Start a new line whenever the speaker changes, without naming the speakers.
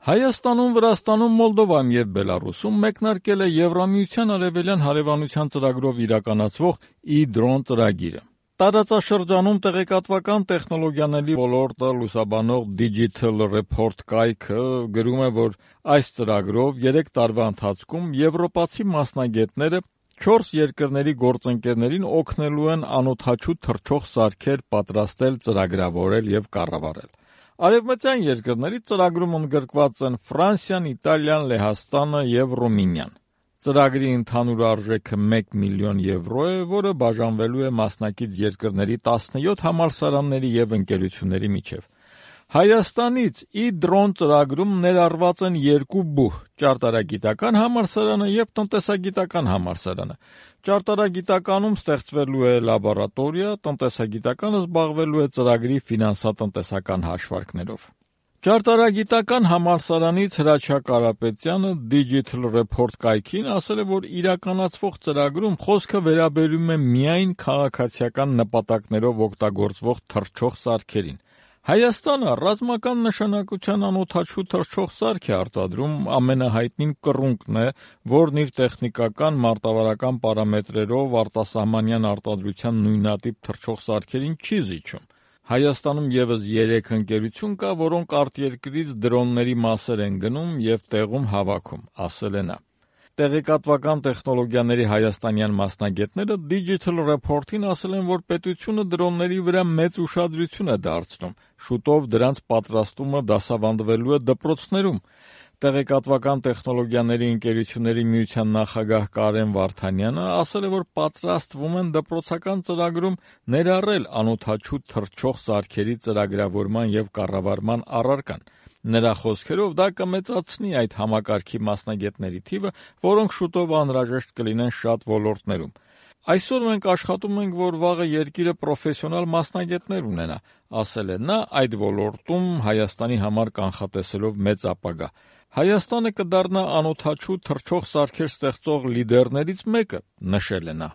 Հայաստանում, Վրաստանում, Մոլդովայում եւ Բելարուսում մեկնարկել է Եվրամիության արևելյան հարևանության ծրագրով իրականացվող e-Drone ծրագիրը։ Տարածաշրջանում տեղեկատվական տեխնոլոգիաների ոլորտը լուսաբանող Digital Report կայքը գրում է, որ այս ծրագրով 3 տարվա ընթացքում եվրոպացի մասնագետները 4 երկրների գործընկերներին օգնելու են անօդաչու թռչող սարքեր պատրաստել, ծրագրավորել եւ կառավարել։ Արևմտյան երկրներից ծրագրում ընդգրկված են Ֆրանսիան, Իտալիան, Լեհաստանը եւ Ռումինիան։ Ծրագրի ընդհանուր արժեքը 1 միլիոն եվրո է, որը բաժանվելու է մասնակից երկրների 17 համալսարանների եւ ընկերությունների միջև։ Հայաստանից e-Drone ծրագրում ներառված են 2 բուհ՝ ճարտարագիտական համալսարանը եւ տնտեսագիտական համալսարանը։ Ճարտարագիտականում ստեղծվելու է լաբորատորիա, տնտեսագիտականը զբաղվելու է ծրագրի ֆինանսատնտեսական հաշվարկներով։ Ճարտարագիտական համալսարանից Հրաչյա Կարապետյանը Digital Report կայքին ասել է, որ իրականացվող ծրագրում խոսքը վերաբերում է միայն քաղաքացիական նպատակներով օգտագործվող թռչող սարքերին։ Հայաստանը ռազմական նշանակության անօդաչու թռչող սարք է արտադրում, ամենահայտնին կռունկն է, որն իր տեխնիկական մարտավարական պարամետրերով արտասահմանյան արտադրության նույնատիպ թռչող սարքերին չի զիջում։ Հայաստանում եւս 3 ընկերություն կա, որոնք արտերկրից դրոնների մասեր են գնում եւ տեղում հավաքում, ասել է նա։ Տեղեկատվական տեխնոլոգիաների հայաստանյան մասնագետները Digital Report-ին ասել են, որ պետությունը դրոնների վրա մեծ ուշադրություն է դարձնում, շուտով դրանց պատրաստումը դասավանդվելու է դպրոցներում։ Տեղեկատվական տեխնոլոգիաների ընկերությունների միության նախագահ Կարեն Վարդանյանը ասել է, որ պատրաստվում են դպրոցական ծրագրում ներառել անօդաչու թռչող սարքերի ծրագրավորման եւ կառավարման առարկան։ Նրա խոսքերով դա կմեծացնի այդ համակարգի մասնագետների թիվը, որոնք շուտով անհրաժեշտ կլինեն շատ ոլորտներում։ Այսօր մենք աշխատում ենք, որ վաղը երկիրը պրոֆեսիոնալ մասնագետներ ունենա, ասել է նա, այդ ոլորտում Հայաստանի համար կանխատեսելով մեծ ապագա։ Հայաստանը կդառնա անօդաչու թռչող սարքեր ստեղծող լիդերներից մեկը, նշել է նա։